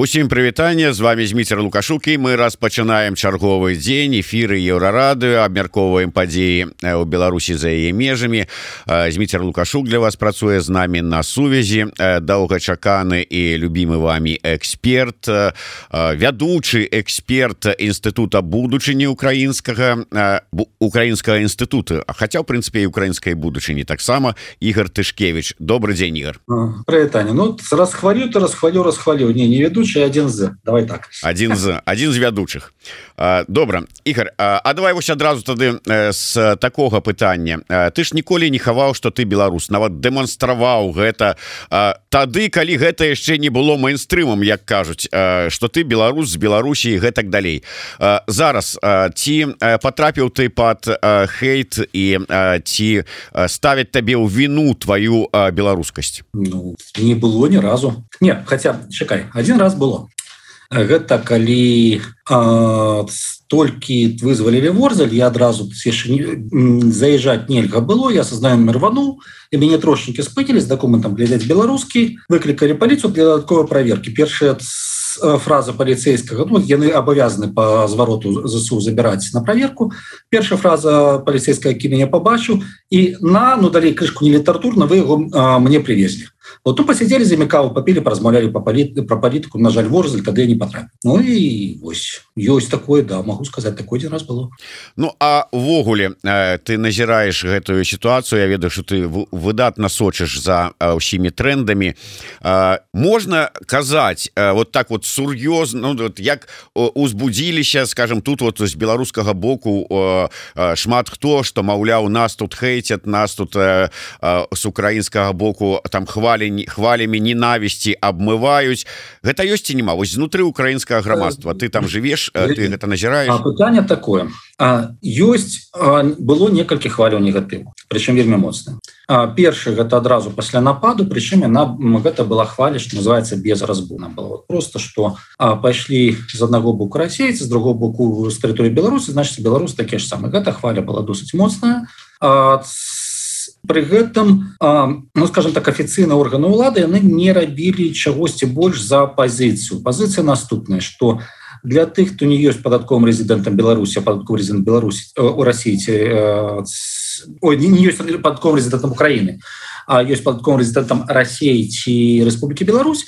Усім прывітанне, з вами Зміцер Лукашук, і мы распачынаем чарговы дзень эфіры Еўрарадыё, абмяркоўваем падзеі ў Беларусі за яе межамі. Зміцер Лукашук для вас працуе з намі на сувязі, доўгачаканы і любімы вамі эксперт, вядучы эксперт Інстытута будучыні украінскага інстытута, хаця, ў прынцыпе, і украінскай будучыні таксама, Ігор Тышкевіч. Добрый дзень, Ігор. Прывітанне. Ну, расхвалю. Не ведучы, один з. Давай так. Один з вядучых. Добра. Ігор, а давай вось адразу тады з такога пытання. Ты ж ніколі не хаваў, што ты беларус, нават дэманстраваў гэта тады, калі гэта яшчэ не было мейнстрымам, як кажуць, што ты беларус з Беларусі і гэтак далей. Зараз ці патрапіў ты пад хейт і ці ставяць табе ў віну тваю беларускасць? Ну, не было ні разу. Не, хаця, чакай, один раз было. Гэта калі толькі вызвалілі Ворзель, я адразу заязджаць нельга было, я са знаёмым рвануў, і мяне трошнікі спынілі з дакументам глядзець беларускі, выклікалі паліцыю для дадатковай праверкі. Першая фраза паліцейскага, ну, яны абавязаны па звароту ЗСУ забіраць на праверку. Першая фраза паліцейская, які мяне пабачыў, і далей крышку не літаратурна, вы яго мне привезлі. Вот тут посидели за Микаву, попили, поразмовляли про политику. На жаль, Ворзель, тогда я не потрапил. Ну и ось, ёсць такое, да, могу сказать, такое один раз было. Ну, а ввогуле, ты назіраеш гэтую ситуацию, я ведаю, что ты выдатна сочыш за ўсімі трендамі. Можна казаць, вот так вот сур'ёзна, ну, вот як узбудзіліся, скажем, тут вот з беларускага боку шмат хто, што, маўляў, нас тут хейцят, нас тут з украінскага боку там хвалямі ненавісці абмываюць. Гэта ёсць ці нема? Вось знутры украінскага грамадства ты там жывеш, ты гэта назіраеш? Пытанне такое. Ёсць, было некалькі хваляў негатыву, прычым вельмі моцна. Першы гэта адразу пасля нападу, прычым гэта была хваля, што называецца без разбуна. Было просто, што пайшлі з аднаго боку расейцы, з другого боку з тэрыторыі Беларусі, значыць, беларусы такія ж самыя. Гэта хваля была досыць моцная. Пры гэтым, ну, скажем так, афіцыйныя органы ўлады яны не рабілі чагосьці больш за пазіцыю. Пазіцыя наступная, што для тых, хто не ёсць падатковым рэзідэнтам Беларусі, а падатковы рэзідэнт Беларусі у Расіі, не ёсць падатковым рэзідэнтам Украіны, а ёсць падатковым рэзідэнтам Расіі ці Рэспублікі Беларусь,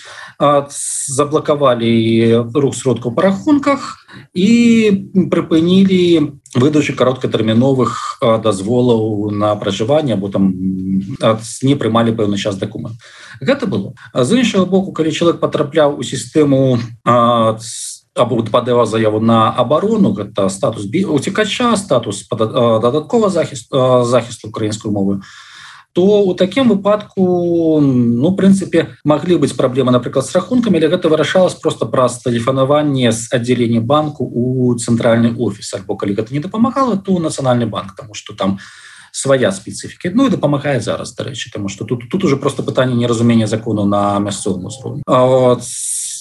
заблакавалі рух сродкаў па рахунках і прыпынілі выдачу кароткатэрміновых дазволаў на пражыванне, або там не прымалі пэўны час дакумент. Гэта было. З іншага боку, калі чалавек патрапляў у сістэму або падаваў заяву на абарону, гэта статус уцекача, статус дадатковага захісту украінскай мовы, то у такім выпадку, ну, в прынцыпе, маглі быць праблемы, напрыклад, з рахункамі, але гэта вырашалася проста праз тэлефанаванне з аддзялення банку у цэнтральны офіс, альбо калі гэта не дапамагала, то нацыянальны банк, таму што там свая спецыфіка. Ну і дапамагае зараз, дарэчы, таму што тут уже просто пытанне неразумення закону на мясцовым узроўні.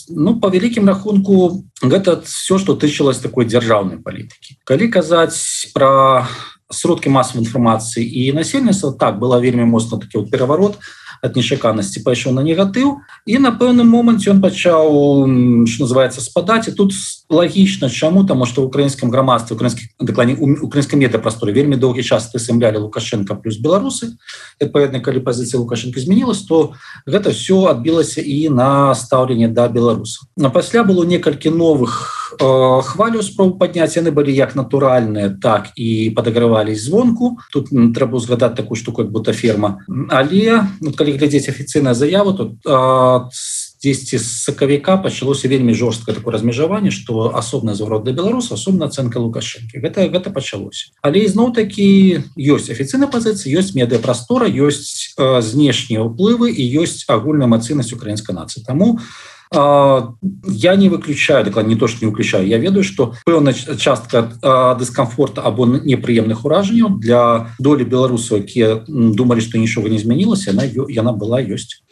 Ну, по вялікім рахунку, гэта все, што тычылася такой дзяржаўнай палітыкі. Калі казаць пра сродкі масавай інфармацыі і насельніцтва, так, была вельмі моцна такі вот пераварот, ад нечаканасці пайшоў на негатыў, і на пэўным моманце ён пачаў, што называецца, спадаць. І тут лагічна, чаму? Таму што ў украінскім грамадстве, украінскай медыапрасторы вельмі доўгі час прысымлялі Лукашенка плюс беларусы. Адпаведна, калі пазіцыя Лукашенка змянілася, то гэта все адбілася і на стаўленне да беларусаў. Пасля было некалькі новых хваляў спроб падняць, яны былі як натуральныя, так і падагравались звонку. Тут трэба згадаць такую штуку, як бутаферма. Але, калі глядзець афіцыйную заяву, то дзесьці з сакавіка пачалося вельмі жорсткае такое размежаванне, што асобна зварот да беларусаў, асобна ацэнка Лукашэнкі. Гэта пачалося. Але ізноў-такі ёсць афіцыйная пазіцыя, ёсць медыапрастора, ёсць знешнія ўплывы і ёсць агульная эмацыйнасць украінскай нацыі. Таму я не выключаю, дакладна не то, што не выключаю, я ведаю, што пэўная частка дыскамфорта або непрыемных уражанняў для долі беларусаў, якія думалі, што нічога не змянілася, яна была, ёсць.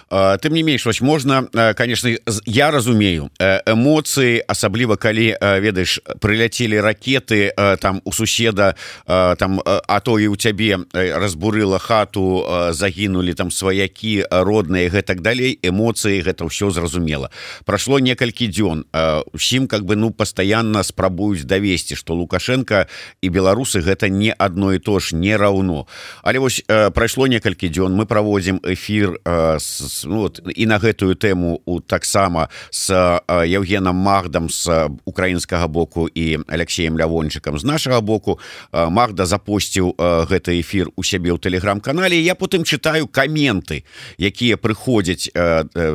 Тым не менш, вось можна, конечно, я разумею эмоцыі, асабліва калі, ведаеш, прыляцелі ракеты там у суседа, там, а то і ў цябе разбурыла хату, загінулі там сваякі родныя, гэтак далей, эмоцыі, гэта ўсё зразумела. зразумела. Прошло некалькі дзён, усім как бы пастаянна спрабуюць давесці, што Лукашенко і беларусы гэта не адно і то ж, не раўно. Але вось прайшло некалькі дзён, мы праводзім эфір і на гэтую тэму таксама з Евгеном Магдам з украінскага боку і Алексеем Лявончыкам з нашага боку. Магда запосціў гэты эфір у сябе ў тэлеграм-канале. Я потым чытаю каменты, якія прыходзяць,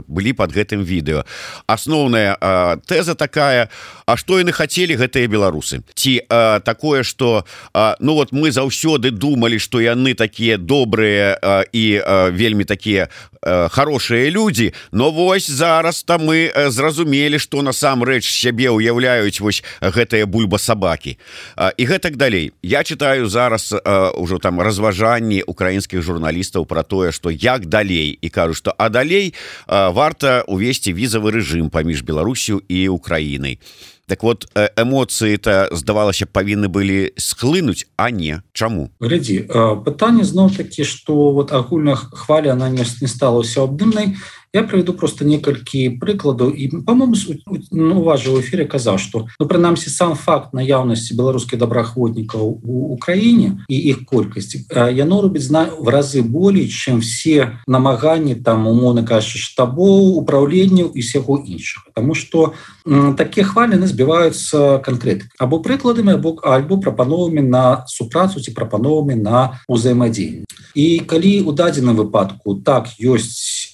былі под гэтым відэо. Асноўная тэза такая: а што яны хацелі, гэтыя беларусы? Ці такое, што мы заўсёды думалі, што яны такія добрыя і вельмі такія хорошыя людзі, но вось зараз-то мы зразумелі, што насамрэч сябе ўяўляюць вось гэтыя бульба-сабакі. І гэтак далей. Я читаю зараз ужо там разважанні украінскіх журналістаў пра тое, што як далей, і кажу, што далей варта увесці візавы рэжым паміж Беларусью і Украінай. Так вот, эмоцыі-то, здавалася, павінны былі схлынуць, а не. Чаму? Глядзі, пытанне зноў-такі, што агульная хваля, она не стала ўсеабдымнай. Я приведу просто некалькі прыкладаў, і, по-моему, у вас же в эфире казаў, што, прынамсі, сам факт наяўнасці беларускіх добраахвотнікаў у Украіне і іх колькасці, яно робіць в разы болей, чым все намаганні, там, умоўна кажучы, штабоў, управленняў і всяго іншага. Таму што такія хвалі збіваюцца канкрэтыкай. Або прыкладамі, альбо прапановамі на супрацу ці прапановамі на ўзаемадзеянне. І калі ў дадзеным выпадку так ёсць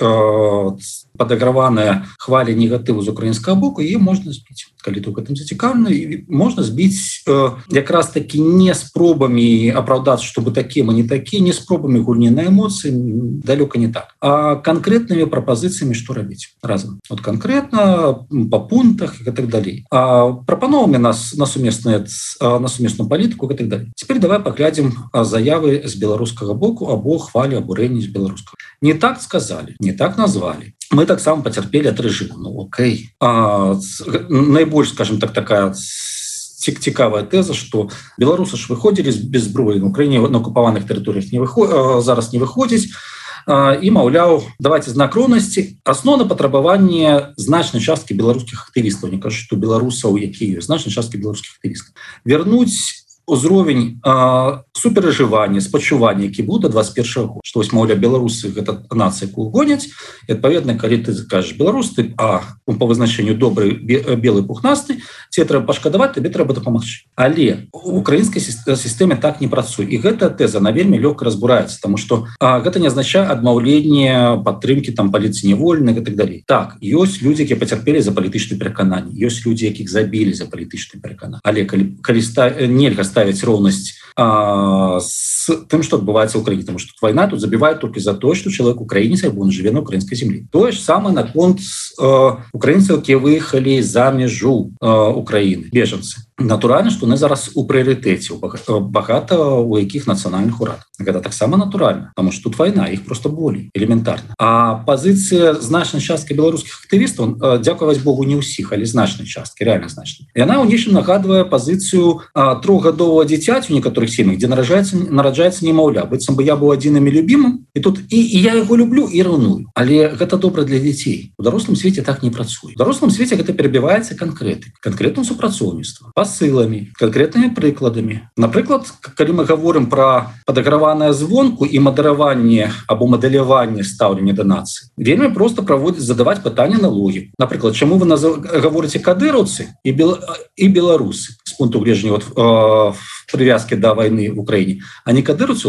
падаграваная хваля негатыву з украінскага боку, яе можна збіць. Калі ты ў гэтым зацікаўлены, можна збіць якраз такі не спробамі апраўдацца, што мы такія, мы не такія, не спробамі гульні на эмоцыі, далёка не так, а канкрэтнымі прапазіцыямі, што рабіць разам. От канкрэтна, па пунктах і так далей. Прапановамі нас на сумесную палітыку і так далей. Цяпер давай паглядзім заявы з беларускага боку або хвалі абурэнні з беларускага. Не так сказалі, не так назвалі. Мы таксама пацярпелі ад рэжыму. Окей. Найбольш, скажем так, такая цікавая тэза, што беларусы ж выходзілі без зброі на Украіне на акупаваных тэрыторыях зараз не выходзіць, і, маўляў, давайце знак роўнасці. Асноўна патрабаванне значнай часткі беларускіх актывістаў, не кажу, што беларусаў, якія ёсць, значнай часткі беларускіх актывістаў, вярнуць узровень суперажывання, спачування, які быў да 21 года. Што вось, маўляў, беларусы гэта нацыя, якую гоняць, і адпаведна, калі ты кажаш беларус, ты по вызначэнню добры, белы, пухнасты, ці трэба пашкадаваць, табе трэба дапамагчы. Але у украінскай сістэме так не працуе. І гэта тэза, она вельмі лёгка разбураецца, таму што гэта не азначае адмаўленне падтрымкі там паліцыі нявольных і так далей. Так, ёсць людзі, якія пацярпелі за палітычныя перакананні, ёсць людзі, якіх забілі за палітычныя перакананні. Але калі нельга ставіць роўнасць з тым, што адбываецца ў Украіне, таму што вайна тут забівае толькі за тое, што чалавек украінец, або он жыве на украінскай зямлі. Тое ж самае наконт украінцаў, якія выехалі за мяжу Украіны, бежанцы. Натуральна, што яны зараз у прыярытэце, багата у якіх нацыянальных урадах. Гэта таксама натуральна, таму што тут вайна, іх просто болей, элементарна. А пазіцыя значнай часткі беларускіх актывістаў, дзякаваць Богу, не ўсіх, але значнай часткі, реально значнай. Яна ў нечым нагадвае пазіцыю 3-гадовага дзіцяці у некаторых сем'ях, дзе нараджаецца немаўля. Быццам бы я быў адзіным і любімым, і тут і я яго люблю і раўную. Але гэта добра для дзяцей. У дарослым свеце так не працуе. У дарослым свеце гэта перабіваецца канкрэтным супрацоўніцтвам, пасыламі, канкрэтнымі прыкладамі. Напрыклад, калі мы гаворым пра падаграванае звонку і мадэраванне або мадэляванне стаўлення да нацыі, вельмі проста задаваць пытанне на логіку. Напрыклад, чаму вы гаворыце кадыраўцы і беларусы з пункту гледжання привязки до войны в Украине, а не кадыраўцы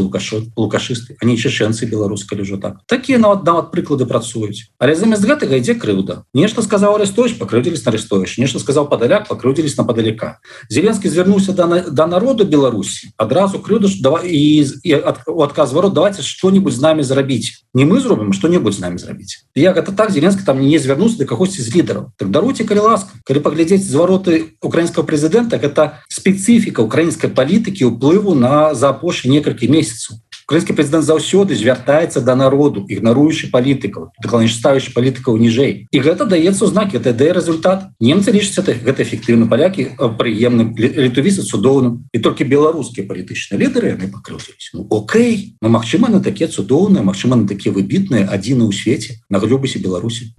лукашисты, а не чеченцы беларусы, калі ўжо так. Такія нават прыклады працуюць. Але замест гэтага ідзе крыўда. Нешта сказаў Арестович, пакрыўдзілись на Арестович. Нешта сказаў Падаляк, пакрыўдзілись на Падаляка. Зеленскі звярнуўся да народу Беларусі, адразу крыўда і адказ варот, давайте што-небудзь з намі зрабіць. Не мы зробім, што-небудзь з намі зрабіць. Як гэта так, Зеленскі там не звярнуўся да кагосьці з лідараў. Так даруйце, калі ласка. Калі паглядзець звароты украінскага прэзідэнта, гэта спецыфіка украінскай палітыкі ўплыву за апошнія некалькі месяцаў. Украінскі прэзідэнт заўсёды звяртаецца да народу, ігнаруючы палітыкаў, ставячы палітыкаў ніжэй. І гэта даецца ў знакі, гэта дае результат. Немцы лічаць гэта эфектыўна, палякі прыемным, літувіцы цудоўным. І толькі беларускія палітычныя лідары яны пакрыўдзіліся. Ну окей, ну магчыма на такія цудоўныя, магчыма на такія выбітныя, адзіны ў свеце, на глобусе Беларусі.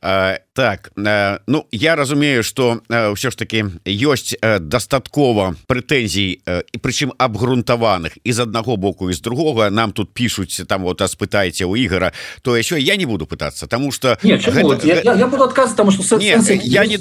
Так, ну я разумею, што ўсё ж таки ёсць дастаткова прэтэнзій, і прычым абгрунтаваных і з аднаго боку і з другога. Нам тут пишуць, там вот спытайце у Ігора, то еще я не буду пытаться, потому что я буду адказваць, потому что я не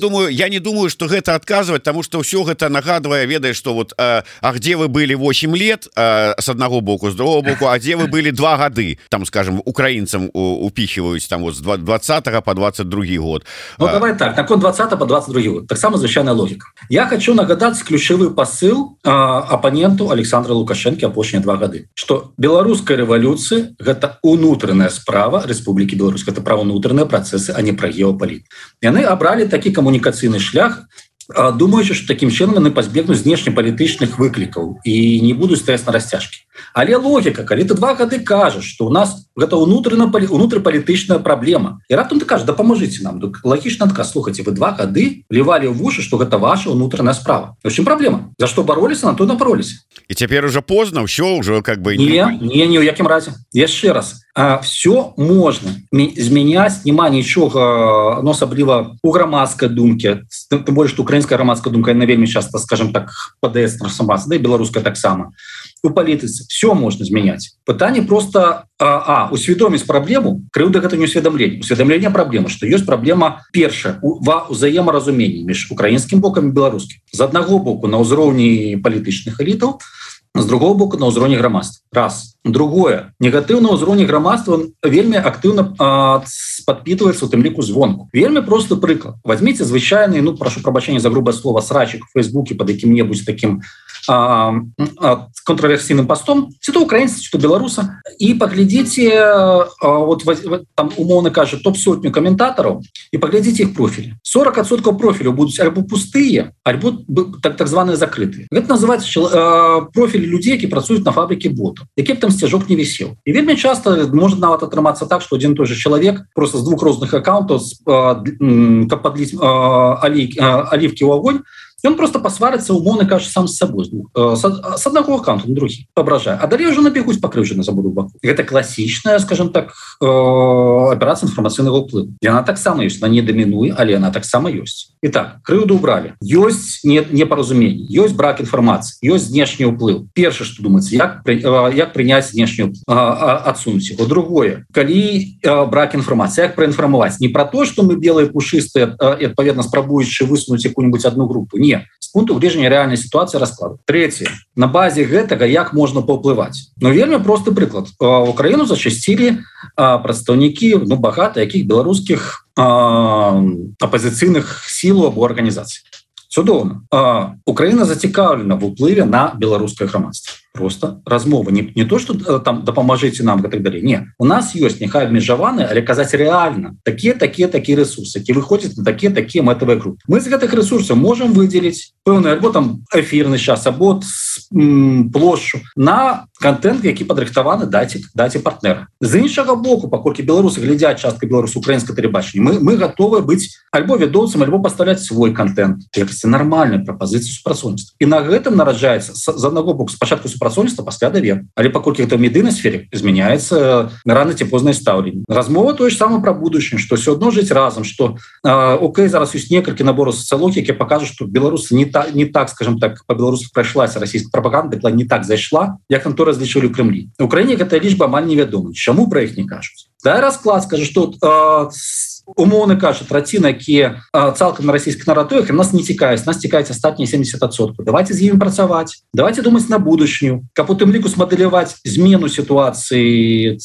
думаю, что гэта адказваць, потому что ўсё гэта нагадвае, ведаеш, что вот а где вы были 8 лет с одного боку, с другого боку, а где вы были 2 гады, там, скажем, украинцам упихиваюць там вот с 20 по 22 год. Ну давай так, наконт 20 по 22 год, так само звычайная логика. Я хочу нагадаць ключавы посыл оппоненту Александра Лукашенко апошнія 2 гады, что беларуская рэвалюцыя гэта унутраная справа Рэспублікі Беларусь, это пра унутраныя працэсы, а не пра геапалітыку. Яны абралі такі камунікацыйны шлях, думаючы, што такім чынам яны пазбегнуць знешнепалітычных выклікаў і не будуць стаяць на расцяжкі. Але логіка, калі ты 2 гады кажаш, што у нас гэта унутрыпалітычная праблема, і раптам ты кажаш, дапамажыце нам, лагічна адказ, слухайце, вы 2 гады плевалі ў вушы, што гэта ваша унутраная справа. В чым праблема? За што бароліся, на то напароліся. І цяпер уже позна, ўсё ўжо как бы не ў якім разе. Яшчэ раз, все можна змяняць, няма нічога, ну, асабліва у грамадскай думкі, тым больш, што украінская грамадская думка, яна вельмі часта, скажем так, падаецца трансфармацыя, да і беларуская таксама. У палітыцы все можна змяняць. Пытанне просто усведоміць праблему, крыўда гэта не усведамленне. Усведамленне праблемы, што ёсць праблема першая ва ўзаемаразуменні між украінскім бокам і беларускім. З аднаго боку на ўзроўні палітычных элітаў, з другого боку на ўзроўні грамадства. Раз. Другое. Негатыўна ўзроўні грамадства вельмі актыўна падпітваецца у тым ліку звонку. Вельмі просты прыклад. Возьмите звычайны, ну прашу прабачэння за грубае слово, срачик в Фейсбуке под якім-небудзь таким контраверсійным постом, ці то украінца, ці то беларуса, і паглядзіце, вот там умоўна кажа, топ-сотню каментатараў, і паглядзіце іх профілі. 40% профіляў будуць альбо пустыя, альбо так званыя закрытыя. Гэта называецца профілі людзей, які працуюць на фабрыке ботаў, які б там сцяжок не вісеў. І вельмі часта можа нават атрымацца так, што адзін той же чалавек просто з 2 розных аккаунтаў, каб падліць алівкі ў агонь, ён просто пасварыцца, умоўна кажа, сам з сабой, з аднаго аккаунта на другі, пабражае. А далей ўжо набегуць пакрыўджаны за буду баку. Гэта класічная, скажем так, аперацыя інфармацыйнага ўплыву. Яна таксама ёсць, она не дамінуе, але яна таксама ёсць. І так, крыўду ўбралі. Ёсць непаразуменне, ёсць брак інфармацыі, ёсць знешні ўплыў. Першае, што думаецца, як прыняць знешні ўплыў, адсунуць яго. Другое, калі брак інфармацыі, як праінфармаваць? Не пра то, што мы белыя пушыстыя, і адпаведна спрабуючы высунуць якую-нибудь одну групу. Не, з пункту гледжання рэальнай сітуацыі раскладу. Трэцяе, на базе гэтага як можна паўплываць? Ну вельмі просты прыклад. В Украіну зачасцілі прадстаўнікі, ну багата якіх беларускіх апазіцыйных сілаў або арганізацый. Цудоўна. Украіна зацікаўлена в уплыве на беларускае грамадства. Просто размова не то, что там дапамажыце нам и так далее. Не, у нас ёсць няхай абмежаваны, але казаць реально такие ресурсы, які выходзяць на такие мэтавыя групы. Мы з гэтых ресурсаў можем выделить пэўны альбо там эфирны час, або плошчу на контент, які падрыхтаваны даць партнера. З іншага боку, паколькі беларусы глядзяць частка беларусаў украінскае тэлебачанне, мы готовы быць альбо вядоўцам, альбо пастаўляць свой контент, якасці нармальнай прапазіцыі супрацоўніцтва. І на гэтым нараджаецца з аднаго боку спачатку супрацоўніцтва, пасля давер. Але паколькі гэта ў медыйнай сфере, змяняецца рана ці познае стаўленне. Размова тое ж самае пра будучыню, што ўсё адно жыць разам, што окей, зараз ёсць некалькі набораў сацыялогіі, якія пакажуць, што беларусы не так, скажем так, па-беларуску прайшлася расійская прапаганда, не так зайшла, як там то разлічылі ў Крымлі. У Украіне гэтая лічба амаль невядома. Чаму пра іх не кажуць? Дай расклад, скажа, што умоўна кажа, траціна, якія цалкам на расійскіх наратывах, нас не цікаюць, нас цікаюць астатнія 70%. Давайте з імі працаваць, давайте думаць на будучыню, каб у тым ліку смадэляваць змену сітуацыі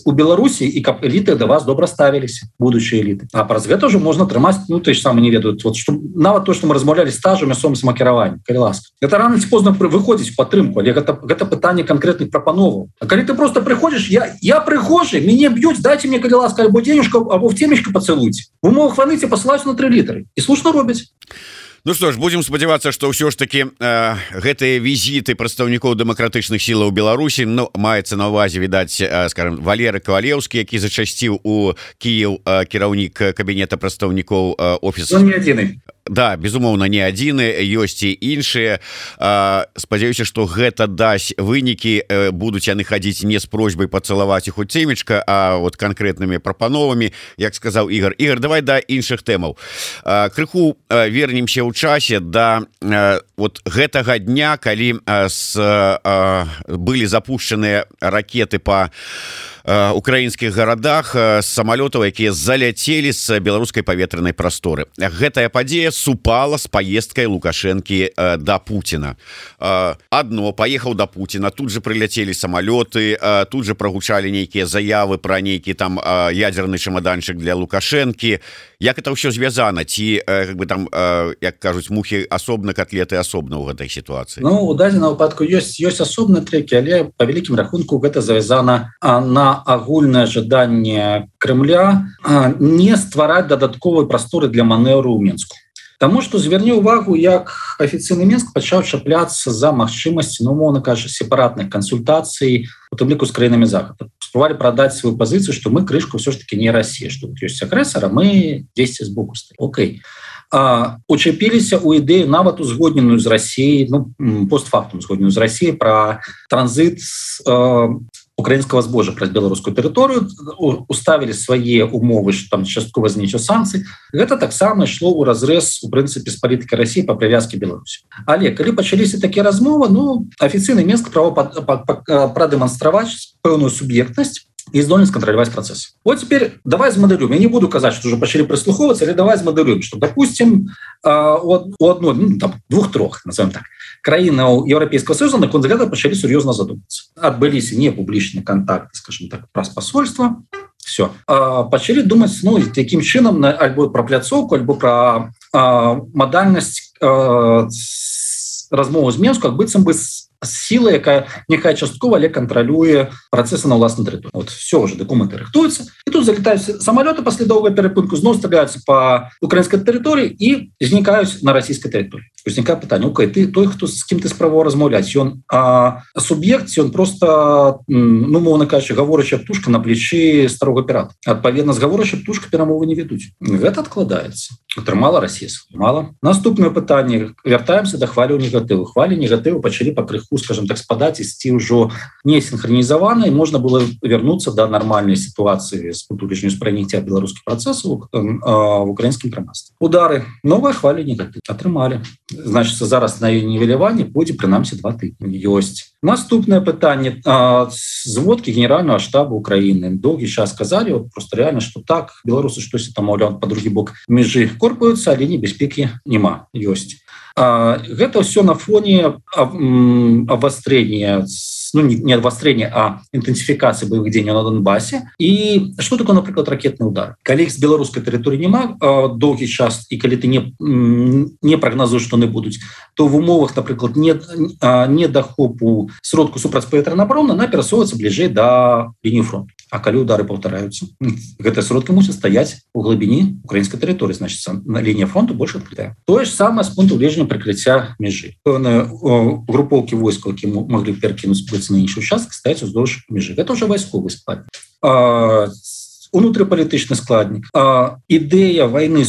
у Беларусі і каб эліты да вас добра ставіліся, будучыя эліты. А праз гэта ўжо можна трымаць, ну той ж самы не ведаюць, вот, што, нават то, што мы размаўлялі стажу мясцовым самакіраваннем, калі ласка. Гэта рана ці позна выходзіць у падтрымку, але гэта пытанне канкрэтных прапановаў. А калі ты просто прыходзіш, я прыгожы, мяне б'юць, дайце мне, калі ласка, альбо денежку, або в темечку пацелуйте. В умовах войны тебе посылаюць на 3 літары. І слушно робяць. Ну что ж, будем спадзявацца, что ўсё ж таки гэтыя візіты прадстаўнікоў дэмакратычных сілаў Беларусі, ну, маецца на увазе, відаць, скажем, Валеры Кавалеўскі, які зачасціў у Кіеў кіраўнік кабінета прадстаўнікоў офісу. Не адзіны. Да, безумоўна, не адзіны, ёсць і іншыя. Спадзяюся, што гэта дасць вынікі, будуць яны хадзіць не з просьбай пацалаваць іх у цемечка, а вот канкрэтнымі прапановамі, як сказаў Ігор. Ігор, давай да іншых тэмаў. Крыху вернемся ў часе да вот гэтага дня, калі былі запушчаныя ракеты па украінскіх гарадах з самалётаў, якія заляцелі з беларускай паветранай прасторы. Гэтая падзея супала з паездкай Лукашэнкі да Пуціна. Адно паехаў да Пуціна, тут же прыляцелі самалёты, тут же прагучалі нейкія заявы пра нейкі там ядзерны чамаданчык для Лукашэнкі. Як это ўсё звязана? Ці как бы там, як кажуць, мухі асобна, котлеты асобна ў гэтай сітуацыі? Ну, у дадзеным выпадку ёсць асобныя трэкі, але па вялікім рахунку гэта завязана на агульнае жаданне Крымля не ствараць дадатковай прасторы для манеўру ў Мінску. Таму што зверні ўвагу, як афіцыйны Мінск пачаў чапляцца за магчымасці, ну, умоўна кажа, сепаратных кансультацый, у тым ліку з краінамі Захаду. Спрабавалі прадаць сваю пазіцыю, што мы крышку ўсё ж таки не Расія, што тут ёсць агрэсар, а мы дзесьці збоку стаім. Окей. Учапіліся ў ідэю нават узгодненую з Расіяй, ну, постфактум узгодненую з Расіяй пра транзіт украінскага збожжа праз беларускую тэрыторыю, уставілі свае умовы, што там часткова зніццё санкцый. Гэта таксама ішло ў разрэз, у прынцыпе, з палітыкай Расіі па прывязкі Беларусі. Але калі пачаліся такія размовы, ну, афіцыйны Мінск прадэманстраваць пэўную суб'ектнасць і здольнасць кантраляваць працэс. Вот теперь давай змадэлюем. Я не буду казаць, што ўжо пачалі прыслухоўвацца, але давай змадэлюем, што, допустим, у адной, ну, там, двух-трох, назовем так, краінаў Еўрапейскага Союза наконт гэта пачалі сур'ёзна задумацца. Адбыліся не публічныя контакты, скажем так, праз посольства. Все. Пачалі думаць, ну, якім чынам альбо пра пляцоўку, альбо пра мадальнасць размову з Мінску, як быццам бы сила, якая няхай часткова, але кантралюе працэсы на ўласнай тэрыторыі. Вот все уже документы рыхтуюцца. І тут залетаюць самалёты пасля доўгай перапынку, зноў стреляюцца па украінскай тэрыторыі і знікаюць на расійскай тэрыторыі. Узнікае пытанне: окей, ты той, хто з кім ты спрабаваў размаўляць, ён суб'ект, ён просто, ну, мовна кажучы, гаворачая птушка на плечы старога пірата. Адпаведна, з гаворачай птушкай перамовы не ведуць. Гэта адкладаецца. Атрымала Расія сваю. Мала. Наступнае пытанне. Вяртаемся да хвалі негатыву. Хвалі негатыву пачалі пакрыху, скажем так, спадаць, ісці ўжо не синхронизовано, и можно было вернуться до нормальной ситуации с путулежню спрыняцця беларускіх працэсаў в украінскім грамадстве. Удары. Новая хваля негатыў. Атрымалі. Значит, зараз на нівеляванне пойдзе прынамсі 2 тыдні. Ёсць. Наступное пытанне. Зводкі генерального штаба Украины доўгі час сказали, вот просто реально, что так, беларусы штосьці там, маўляў, по другі бок межы корпаюцца, але небяспекі нема. Ёсць. Гэта все на фоне обострения, ну, не обострения, а интенсификации боевых действий на Донбассе. И что такое, например, ракетный удар? Калі іх з беларускай тэрыторыі нема доўгі час, і калі ты не прагназуеш, што яны будуць, то в умовах, например, недахопу сродку супрацьпаветранай абароны она перасоўваецца бліжэй да лініі фронту. А калі удары паўтараюцца, гэтыя сродкі мусяць стаяць у глыбіні украінскай тэрыторыі, значит, лінія фронту больш адкрытая. Тое ж самае з пункту гледжання прыкрыцця мяжы. Пэўныя групоўкі войскаў, які могли перакінуць на іншы участак, стаяць уздоўж мяжы. Гэта ўжо вайсковы складнік. Унутрыпалітычны складнік. Ідэя вайны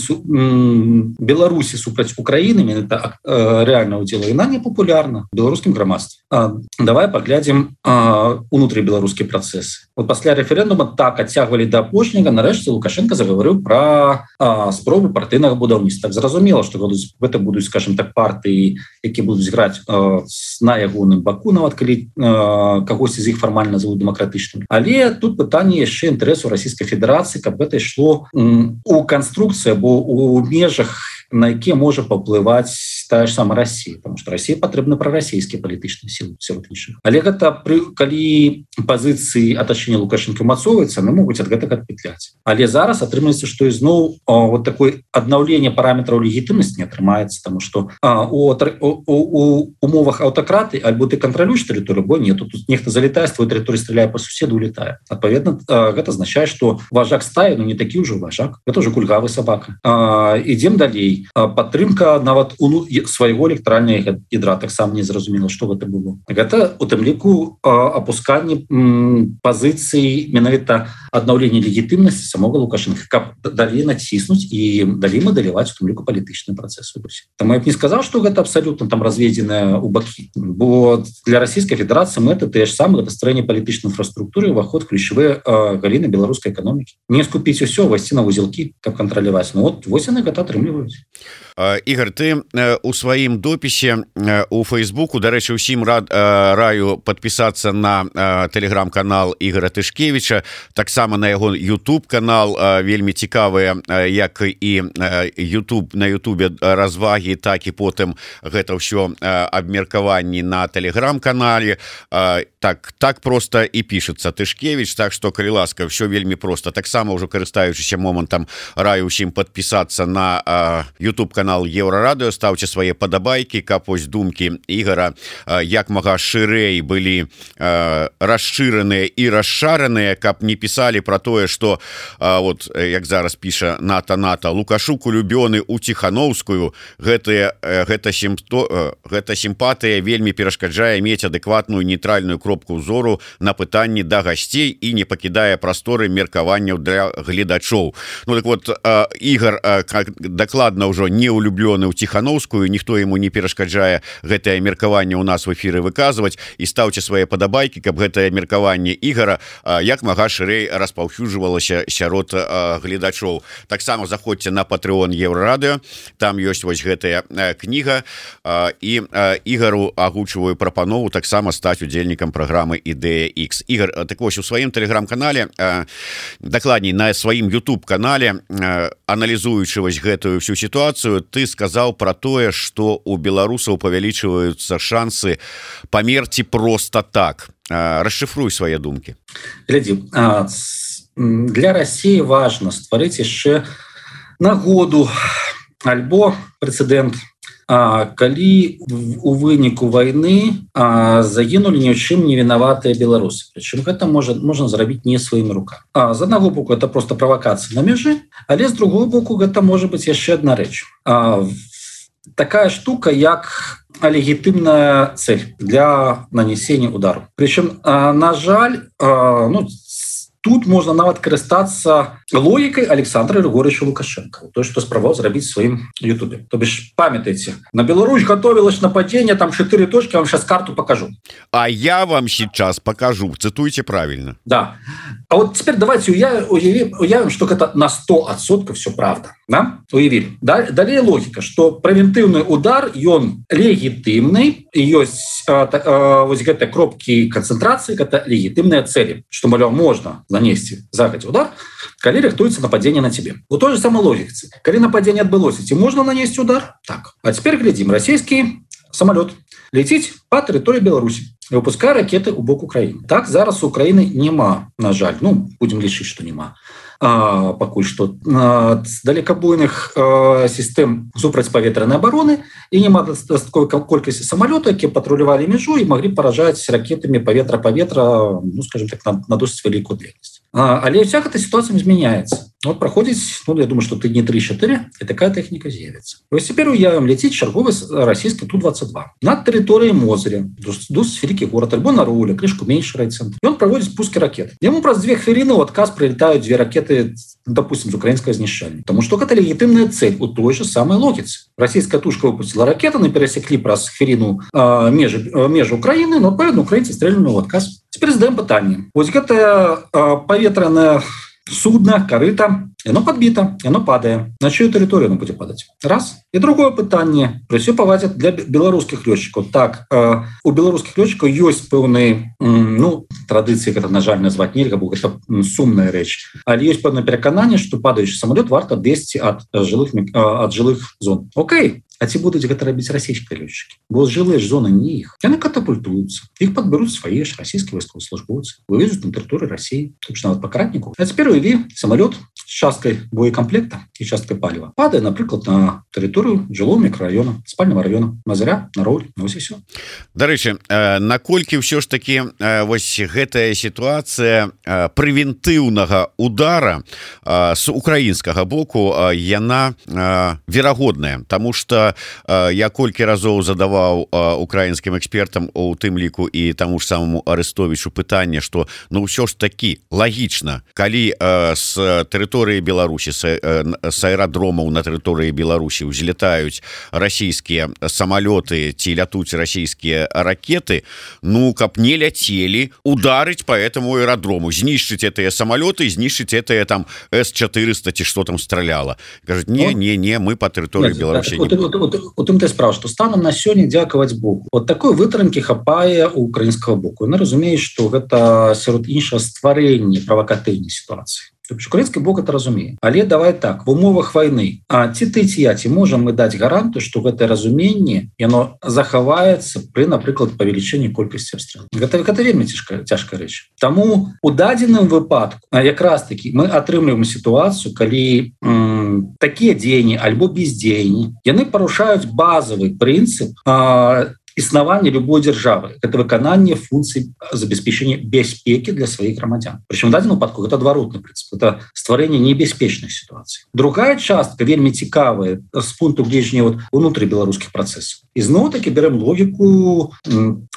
Беларусі супраць Украіны, это реальна ўдзела, яна не папулярна в беларускім грамадстве. Давай паглядзім унутрыбеларускія працэсы. Вот пасля рэферэндума так адцягвалі да апошняга, нарэшце Лукашенко загаварыў пра спробу партыйнага будаўніцтва. Так зразумела, што гэта будуць, скажем так, партыі, якія будуць граць на ягоным баку, нават калі кагосьці з іх фармальна назовуць дэмакратычным. Але тут пытанне яшчэ інтарэсу Расійскай Федэрацыі, каб гэта ішло у канструкцыі або у межах, на якія можа паўплываць тая ж сама Россия, потому что России патрэбны прарасійскія палітычныя сілы сярод іншых. Але гэта калі пазіцыі атачэння Лукашенко мацоўваецца, яны могуць ад гэтага адпетляць. Але зараз атрымаецца, што ізноў вот такое аднаўленне параметраў легітымнасці не атрымаецца, тому што у умовах аўтакраты альбо ты кантралюеш тэрыторыю, бо не, тут нехта залетае з твоей тэрыторыі, стреляе па суседу, улетае. Адпаведна, гэта азначае, што важак стаі, не такі ўжо важак, гэта ўжо кульгавы сабака. Ідзем далей. Падтрымка нават свайго электаральнага ядра таксама не зразумела, што гэта было. Гэта у тым ліку апусканне пазіцыі менавіта аднаўлення легітымнасці самога Лукашенко, каб далей націснуць і далей мадэляваць у тым ліку палітычны працэс. Таму я б не сказаў, што гэта абсалютна там разведзеная ў бакі, бо для Расійскай Федэрацыі мэты тыя ж самыя, гэта стварэнне палітычнай інфраструктуры, уваход ключавыя галіны беларускай эканомікі. Не скупіць усё, увайсці на вузелкі, каб кантраляваць. Вось яны гэта атрымліваюць. Ігор, ты у сваім допісе у Фейсбуку, дарэчы, усім раю падпісацца на тэлеграм-канал Ігора Тышкевіча, таксама на яго YouTube-канал, вельмі цікавыя, як і на Ютубе развагі, так і потым гэта ўсё абмеркаванні на тэлеграм-канале. Так проста і пішацца Тышкевіч, так што, калі ласка, ўсё вельмі проста. Таксама ўжо карыстаючыся момантам, раю ўсім падпісацца на YouTube-канал Еўрарадыё, ставце свае падабайкі, каб вось думкі Ігора як мага шырэй былі расшыраныя і расшараныя, каб не пісалі пра тое, што вот як зараз піша Ната Лукашук улюбёны у Ціхановскую, гэта сімпатыя вельмі перашкаджае мець адэкватную нейтральную кропку ўзору на пытанні да гасцей і не пакідае прасторы меркаванняў для гледачоў. Ну так вот, Ігор дакладна ўжо не улюблёны ў Ціхановскую, ніхто яму не перашкаджае гэтае меркаванне ў нас в эфіры выказваць, і стаўце свае падабайкі, каб гэтае меркаванне Ігора як мага шырэй распаўсюджвалася сярод гледачоў. Таксама заходзьце на Patreon Еўрарадыё, там ёсць вось гэтая кніга, і Ігору агучваю прапанову таксама стаць удзельнікам праграмы Ідэя X. Ігор, так вось у сваім тэлеграм-канале, дакладней на сваім YouTube-канале, аналізуючы вось гэтую всю ситуацию, ты сказал про тое, что у беларусаў павялічваюцца шансы памерці просто так. Расшифруй свои думки. Глядзі, для России важно стварыць яшчэ нагоду альбо прэцэдэнт, калі у выніку войны загінулі ні ў чым не вінаватыя беларусы. Прычым гэта можна зрабіць не сваімі рукамі. З аднаго боку это просто правакацыя на мяжы, але з другого боку гэта можа быць яшчэ адна рэч. Такая штука, як легітымная цель для нанесення удару. Прычым, на жаль, тут можна нават карыстацца логікай Александра Григорьевича Лукашенко, то, што спрабаваў зрабіць сваім Ютубе. То бишь, памятаеце, на Беларусь готовилось нападение, там 4 точки, я вам сейчас карту покажу. А я вам сейчас покажу, цитуйте правильно. Да. А вот теперь давайте уявим, что это на 100% все правда. Да? Уявили. Далее логика, что превентивный удар, он легитимный, и есть вот эти кропки концентрации, это легитимные цели, что, мол, можно нанести загодя удар, коли рихтуется нападение на тебе. У той же самой логики. Коли нападение отбылось, тебе можно нанести удар? Так. А теперь глядим. Российский самолет летит по территории Беларуси и выпускае ракеты у бок Украины. Так, зараз у Украины нема, на жаль. Будем лічыць, что нема. Пакуль што далекабойных сістэм супрацьпаветранай абароны і няма дастатковай колькасці самалётаў, якія патрулявалі мяжу і маглі паражаць ракетамі паветра-паветра, скажем так, на досыць вялікую дальнасць. Але вся эта ситуация изменяется. Вот проходит, я думаю, что тыдні 3-4, и такая техника з'явится. Вот теперь уявим, летит черговый российский Ту-22 над территорией Мозыря, досить великий город, альбо на Руле, крышку меньше райцентр. И он проводит пуски ракет. Ему просто 2 хвилины в отказ прилетают 2 ракеты, допустим, с украинского знищання. Потому что это легитимная цель у той же самой логицы. Российская тушка выпустила ракеты, они пересекли про хвилину межи Украины, но, поэтому украинцы стреляли в отказ. Теперь задаем питание. Вот это поветренное судно, корыто, оно подбито, оно падает. На чью территорию оно будет падать? Раз. И другое питание. При все повадят для белорусских летчиков. Так, у белорусских летчиков есть певные, традиции, это, на жаль, назвать нельзя, бо это сумная речь. Але есть певное переконание, что падающий самолет варто 200 от жилых зон. Окей. А ці будуць гэта рабіць расійскія лётчыкі, бо жылыя ж зоны не іх, яны катапультуюцца, іх падбяруць свае ж расійскія вайсковаслужбоўцы, вывезуць на тэрыторыю России, нават пакратніку. А цяпер уяві, самалёт з часткай боекамплекта і часткай паліва падае, напрыклад, на тэрыторыю жылого мікрараёна, спальнага раёна, Мазыря, на Роўль, вось і всё. Дарэчы, наколькі ўсё ж таки вось гэтая сітуацыя прэвентыўнага удара з украінскага боку яна верагодная, тому что я колькі разоў задаваў украінскім экспертам, у тым ліку і таму ж самому Арестовичу пытанне, што ну ўсё ж таки лагічна, калі з тэрыторыі Беларусі, з аэрадромаў на тэрыторыі Беларусі ўзлетаюць расійскія самалёты ці лятуць расійскія ракеты, ну каб не ляцелі, ударыць по этому аэродрому, знішчыць этыя самалёты, знішчыць этыя там С-400 ці што там страляла. Кажуць, не, мы по тэрыторыі Беларусі. У тым ты справа, што станам на сёння дзякаваць Богу. Вот такой вытрымкі хапае у украінскага боку. Яны разумеюць, што гэта сярод іншага стварэнне правакатыўнай сітуацыі. Украінскі бок это разумее. Але давай так, в умовах войны, ці ты, ці я, ці можам мы даць гарантыю, што гэтае разуменне яно захаваецца пры, напрыклад, павелічэнні колькасці абстрэлаў. Гэта вельмі цяжкая рэч. Таму у дадзеным выпадку якраз таки мы атрымліваем сітуацыю, калі такія дзеянні альбо бездзеянні яны парушаюць базавы прынцып існавання любой дзяржавы. Это выкананне функцый забеспечения бяспекі для сваіх грамадзян. Причем в дадзеным выпадку это адваротны прынцып, это стварэнне небяспечных сітуацый. Другая частка вельмі цікавая з пункту гледжання унутры беларускіх працэсаў. Ізноў-таки берем логіку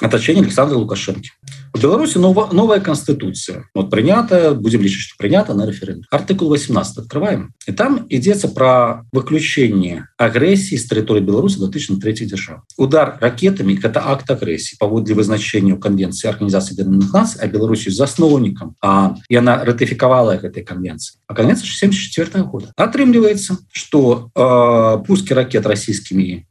атачэння Александра Лукашэнкі. У Беларусі новая конституция. Прынята, будем лічыць, што прынята на референдум. Артыкул 18 открываем. И там ідзецца про выключение агрэсіі з тэрыторыі Беларусі датычна трэцяй дзяржавы. Удар ракетами — это акт агрэсіі паводле вызначэння Конвенции Организации Объединенных Наций, а Беларусі засноўнікам, и она ратыфікавала гэтай конвенции. А конвенция 1974 года. Атрымліваецца, что пуски ракет российскими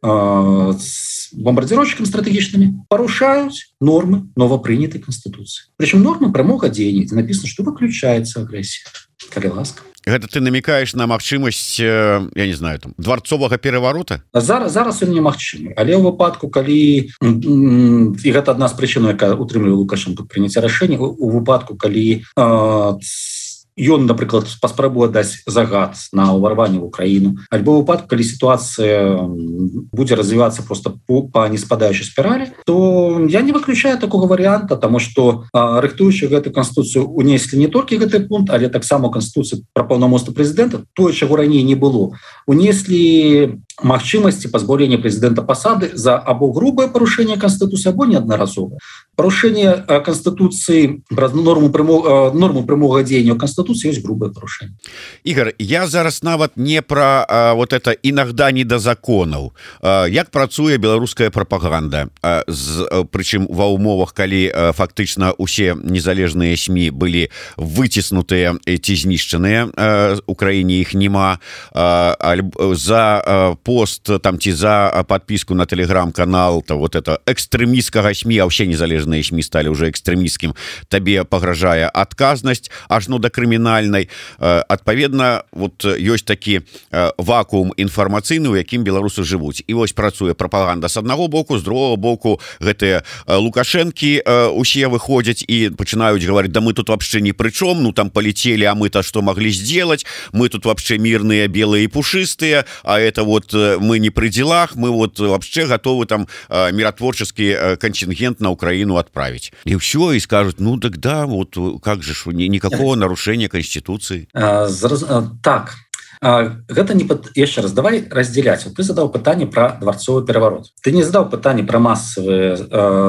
бомбардировщиками стратегічнымі парушаюць нормы новопрынятой Конституции. Причем нормы прамога дзеяння, где написано, что выключается агрессия. Калі ласка. Гэта ты намекаешь на магчымасць, я не знаю, там дворцовага пераворота? Зараз ён немагчымы, але ў выпадку, калі і гэта адна з прычын, якая утрымлівае Лукашенко прыняцця рашэння, у выпадку, калі ён, напрыклад, паспрабуе даць загад на ўварванне ў Украіну, альбо ў выпадку, калі сітуацыя будзе развівацца просто по неспадаючай спіралі, то я не выключаю такого варыянта, таму што рыхтуючы гэтую канстытуцыю унеслі не толькі гэты пункт, але таксама канстытуцыю пра паўнамоцтва прэзідэнта, тое, чаго раней не было, унеслі магчымасці пазбаўлення прэзідэнта пасады за або грубае парушэнне канстытуцыі, або неаднаразовае. Парушэнне канстытуцыі праз норму прямога дзеяння канстытуцыі ёсць грубае парушэнне. Ігор, я зараз нават не пра вот это інагда не да законаў. Як працуе беларуская прапаганда? Прычым ва ўмовах, калі фактычна усе незалежныя СМІ былі выціснутыя ці знішчаныя, у краіне іх няма, за пост там ці за подписку на телеграм-канал, то вот это экстрэмісцкага СМІ, а ўсе незалежныя СМІ сталі уже экстрэмісцкім, табе пагражае адказнасць ажно да крымінальнай. Адпаведна, вот ёсць такі вакуум інфармацыйны, у якім беларусы жывуць. І вось працуе прапаганда з аднаго боку, з другого боку гэтыя Лукашэнкі усе выходзяць і пачынаюць гаварыць: да мы тут вообще ни при чём, ну там полетели, а мы-то что могли сделать, мы тут вообще мирные, белые и пушистые, а это вот мы не при делах, мы вот вообще готовы там миротворческий контингент на Украину отправить. И все, и скажут: ну так да, вот как же, никакого нарушения Конституции. Так. Гэта не яшчэ раз, давай разделять. Вот ты задаў пытанне про дворцовый переворот. Ты не задаў пытанне про массовые,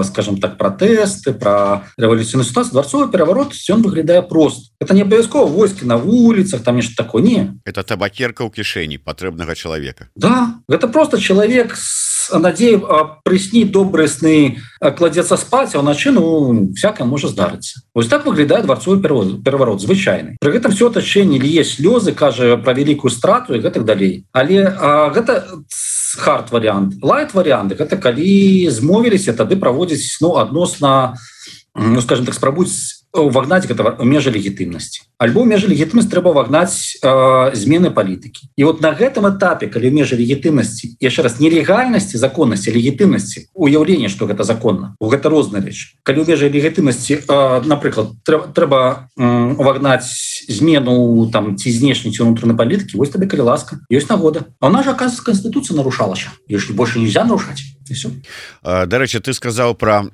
скажем так, протесты, про революционную ситуацию. Дворцовый переворот, он выглядае просто. Это не абавязкова войскі на улицах, там нешта такое, не. Это табакерка ў кішэні патрэбнага чалавека. Да, это просто человек с надеей прысніць добрыя сны, кладецца спаць, а ўначы, ну, всякое можа здарыцца. Вот так выглядае дворцовый переворот, звычайны. Пры гэтым все отачэнне лье слёзы, кажа про великую страту і гэтак далей. Але гэта хард вариант. Лайт варианты — гэта калі змовіліся, тады праводзіць, ну, адносна, ну, скажем так, спрабуюць вагнаць гэта межы легітымнасці. Альбо межы легітымнасці трэба вагнаць змены палітыкі. І вот на гэтым этапе, калі межы легітымнасці, яшчэ раз, нелегальнасці, законнасці, легітымнасці, уяўленне, што гэта законна, гэта розныя рэчы. Калі ў межы легітымнасці, напрыклад, трэба вагнаць змену там ці знешняй ці унутранай палітыкі, вось табе, калі ласка, ёсць нагода. А она же, оказывается, Конституция нарушалася. Её ж больше нельзя нарушаць. Дарэчы, ты сказаў пра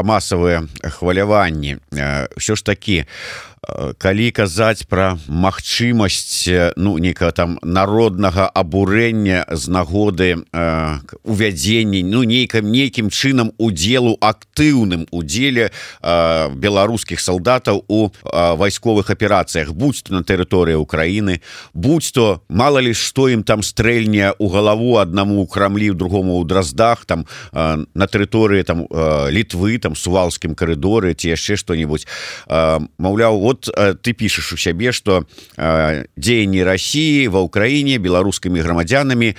масавыя хваляванні. Ўсё ж такі, калі казаць пра магчымасць нейкага там народнага абурэння з нагоды увядзення нейкім чынам удзелу, актыўным удзеле беларускіх салдатаў у вайсковых аперацыях, будь то на тэрыторыі Украіны, будь то мала ли што ім там стрэльне ў галаву аднаму ў Крамлі, другому ў Драздах, там на тэрыторыі там Літвы, там Сувалскім карыдоры ці яшчэ што-нибудь. Маўляў, вот ты пишешь у сябе, что дзеянні России ва Украине беларускімі грамадзянамі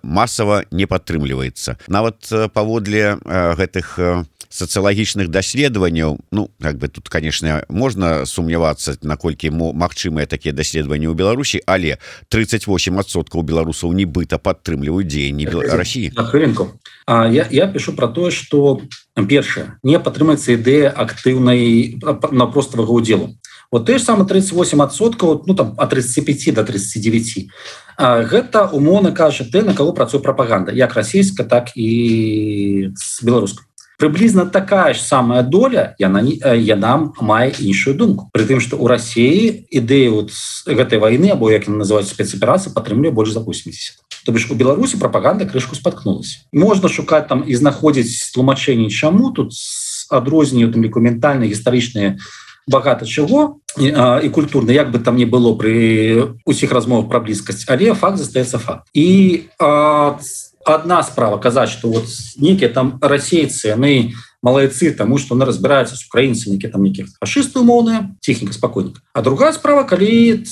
массово не падтрымліваецца. Нават паводле гэтых сацыялагічных даследаванняў, тут, конечно, можна сумнявацца, наколькі магчымыя такія даследаванні ў Беларусі, але 38% беларусаў нібыта падтрымліваюць дзеянні России. Я пишу про то, что першае, не падтрымаецца ідэя актыўнай напроставага удзелу. Вот те же самые 38%, там от 35 до 39. Гэта, умоўна кажа, те, на кого працуе прапаганда, як расійская, так і беларуская. Прыблізна такая ж самая доля, яна мае іншую думку. Пры тым, што ў Расіі ідэю гэтай вайны, або як яны называюць спецаперацыі, падтрымлівае больш за 80. То бишь у Беларусі прапаганда крышку спаткнулася. Можна шукаць там і знаходзіць тлумачэнні чаму, тут адрозненні, у тым ліку ментальныя, гістарычныя, багата чаго і культурна, як бы там не было пры усіх размовах пра блізкасць, але факт застаецца факт. І одна справа казаць, што вот нейкія там расейцы, яны малайцы, таму што яны разбіраюцца з украінцамі, якія там нейкія фашысты умоўныя, ціхенька, спакойненька. А другая справа, калі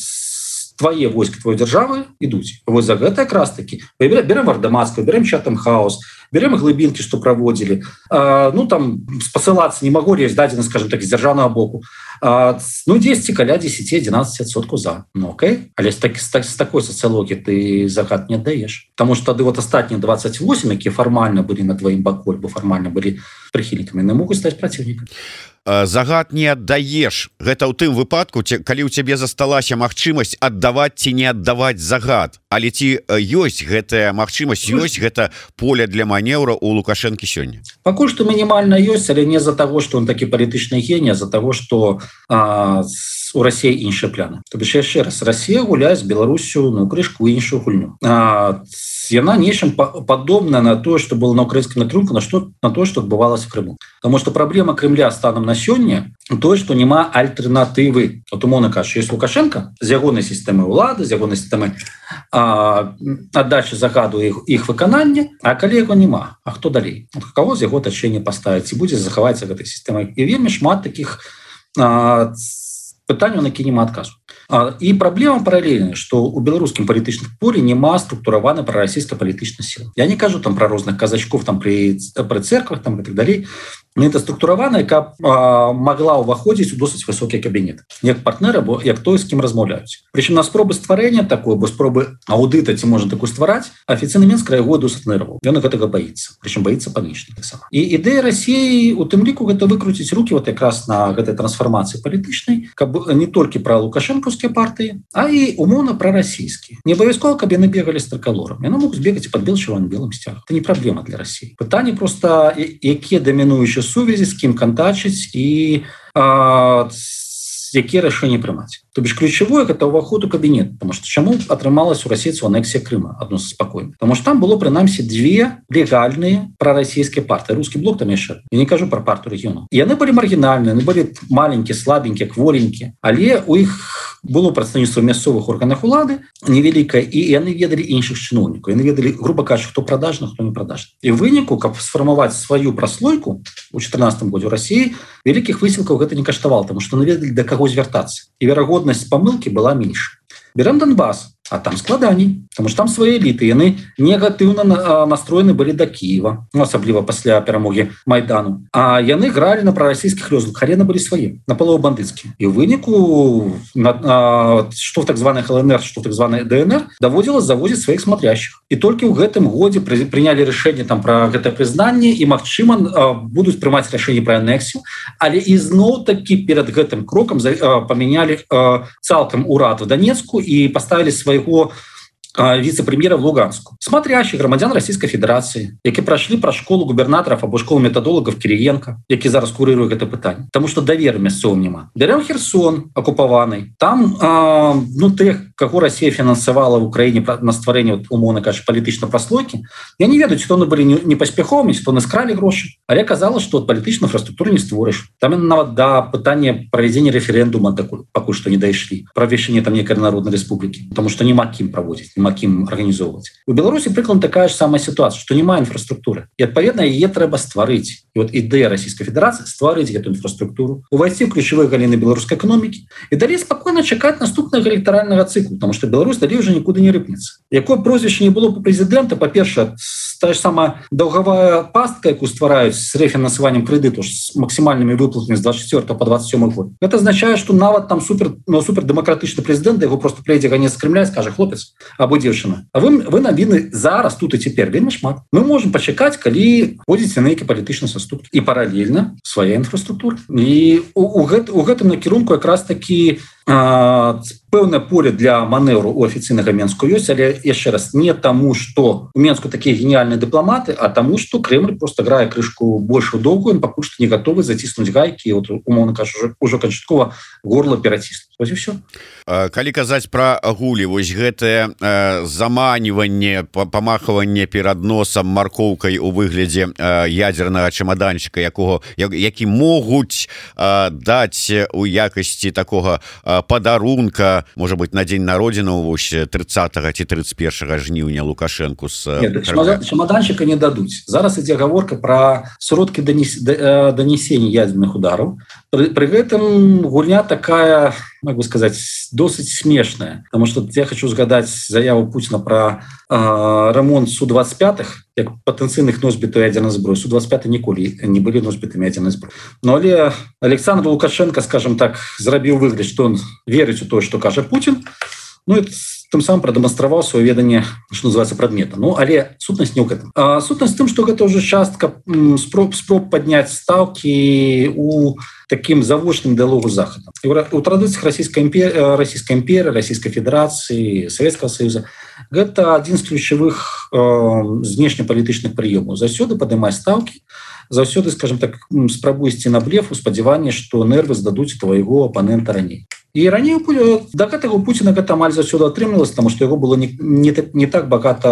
твае войскі, твоей дзяржавы ідуць. Вось за гэта якраз такі. Берем Ардамаску, берем Чатам Хаус, берем глыбінкі, што праводзілі. Там спасылацца не магу, ёсць дадзены, скажем так, з дзяржаўнага боку. 10 каля 10-11% за. Окей. Але з такой сацыялогіі ты загад не аддаеш. Таму што тады вот астатнія 28, якія фармальна былі на тваім баку, або фармальна былі прыхільнікамі, не могуць стаць праціўнікамі. Загад не аддаеш. Гэта ў тым выпадку, калі ў цябе засталася магчымасць аддаваць ці не аддаваць загад. Але ці ёсць гэтая магчымасць, ёсць гэта поле для манеўра у Лукашэнкі сёння? Пакуль што мінімальна ёсць, але не з-за таго, што он такі палітычны геній, а з-за таго, што у Расіі іншыя пляны. То бишь яшчэ раз, Расія гуляе з Беларусю крышку іншую гульню. Яна нечым падобна на тое, што было на украінскім накірунку, на тое, што адбывалася в Крыму. Таму што праблема Крымля станам на сёння тое, што няма альтэрнатывы. От умоўна кажучы, ёсць Лукашенко з ягонай сістэмай улады, з ягонай сістэмай аддачы загаду іх выканання, а калі яго няма, а хто далей? Каго з яго тачэння паставіць і будзе захавацца гэтай сістэмай? І вельмі шмат такіх пытанняў, на які няма адказу. І праблема паралельная, што ў беларускім палітычным полі няма структураванай прарасійскай палітычнай сілы. Я не кажу там пра розных казачкоў там пры церквах там і так далей. Гэта структуравана, яка магла ўваходзіць у досыць высокі кабінет. Як партнер, або як той, з кім размаўляюць. Прычым на спробы стварэння такой, або спробы аўдыта, ці можна такую ствараць, афіцыйны Мінск яго досыць ігнарываў. Ён гэтага баіцца. Прычым баіцца панічна таксама. І ідэя Расіі у тым ліку гэта выкруціць рукі вот якраз на гэтай трансфармацыі палітычнай, каб не толькі пра лукашэнкаўскія партыі, а і умоўна пра расійскія. Не абавязкова, каб яны бегалі з трыкалорам. Яны могуць бегаць пад белым сцягам. Гэта не праблема для Расіі. Пытанне проста, якія дамінуючыя сувязі, з кім кантачыць і якія рашэнні прымаць. То бишь ключевое гэта ўваход у кабінет, потому что чаму атрымалась у расейцаў анексія Крыма адносна спакойна. Потому что там было прынамсі две легальныя прарасійскія партыі. Рускі блок там яшчэ. Я не кажу про партыю рэгіёнаў. І яны былі маргінальныя, яны былі маленькія, слабенькія, кворенькія, але у іх было прадстаўніцтва мясцовых органах улады невялікае, і яны ведалі іншых чыноўнікаў. Яны ведалі, грубо кажучы, хто прадажны, хто не прадажны. І ў выніку, каб сфармаваць сваю праслойку у 2014 годзе ў Расіі, вялікіх высілкаў гэта не каштавала, тому што яны ведалі, да каго звяртацца. І верагоднасць памылкі была менш. Берем Донбасс. А там складаней, потому что там свои эліты, яны негатыўна настроены былі до Киева, ну, асабліва пасля перамоги Майдану. А яны гралі на прарасійскіх лёзах, але яны былі свае, наполову бандыцкія. І ў выніку, што в так званых ЛНР, што в так званой ДНР, даводзілася завозіць сваіх смотрящих. І толькі ў гэтым годзе прынялі рашэнне там пра гэтае прызнанне, і, магчыма, будуць прымаць рашэнне пра анексію, але ізноў-такі перад гэтым крокам памянялі цалкам урад в Донецку і паставілі свайго вице-премьера в Луганску. Смотрящих громадян Российской Федерации, які пройшли про школу губернаторов або школу методологов Кириенко, які зараз курирує это питання. Тому що довіри місцевим нема. Берем Херсон окупований. Там, тих, кого Россия финансовала в Украине на створение, умовно кажучи, політичної прослойки, я не ведаю, чи то вони були не поспіховими, чи то не скрали гроші. Але казалось, що політичну інфраструктуру не створиш. Там навіть до питання проведення референдуму поки що не дійшли. Про введення там некої народної республіки. Тому що нема ким проводити. Кім арганізоўваць. У Беларусі прыкладна такая ж самая сітуацыя, што няма інфраструктуры. І адпаведна яе трэба стварыць. І вот ідэя Расійскай Федэрацыі стварыць гэту інфраструктуру, увайсці ў ключавыя галіны беларускай эканомікі і далей спакойна чакаць наступнага электаральнага цыклу, потому што Беларусь далей уже нікуды не рыпнецца. Якое прозвішча не было па прэзідэнта, па-першае, та ж самая даўгавая пастка, якую ствараюць з рэфінансаваннем крэдыту з максімальнымі выплатамі з 24 по 27 год. Гэта азначае, што нават там супердэмакратычны прэзідэнт, яго просто прыйдзе ганец з Крымля і скажа: хлопец або дзеўчына, а вы навіны зараз тут і цяпер вельмі шмат. Мы можем пачакаць, калі ходзіць на нейкі палітычны саступ, і паралельна свая інфраструктура. І у гэтым накірунку якраз такі пэўнае поле для манеўру у афіцыйнага Менску ёсць, але яшчэ раз не таму, што у Менску такія геніяльныя дыпламаты, а таму, што Крэмль просто грае крышку большую доўгую, пакуль што не гатовы заціснуць гайкі, вот, умоўна кажучы, ўжо канчаткова горла пераціснуць. Вось і ўсё. Калі казаць пра агулі, вось гэтае заманіванне, памахванне перад носам маркоўкай у выглядзе ядзернага чамаданчыка, які могуць даць у якасці такога падарунка, можа быть, на дзень народзінаў вось 30 ці 31 жніўня Лукашэнку з чамаданчыка не дадуць. Зараз ідзе гаворка пра сродкі данесення ядерных удараў. Пры гэтым гульня такая, как бы сказать, досыць смешная, потому что я хочу згадаць заяву Путина про ремонт Су-25, як патэнцыйных носьбітаў ядерной зброі. Су-25 ніколі не былі носьбітамі ядерной зброі. Но але Александр Лукашенко, скажем так, зрабіў выгляд, что он верыць у то, что кажа Путин, ну и тым самым прадэманстраваў сваё веданне, што называецца, прадмета. Ну, але сутнасць не ў гэтым. Сутнасць тым, што гэта ўжо частка спроб падняць стаўкі у таким завочным дыалогу з Захадам. У традыцыях Расійскай імперыі, Расійскай Федэрацыі, Савецкага Саюза гэта адзін з ключавых знешнепалітычных прыёмаў. Заўсёды падымаць стаўкі, заўсёды, скажем так, спрабуй ісці на блеф у спадзяванні, што нервы здадуць твайго апанента раней. І раней да гэтага Пуціна гэта амаль заўсёды атрымлівалася, таму што яго было не так багата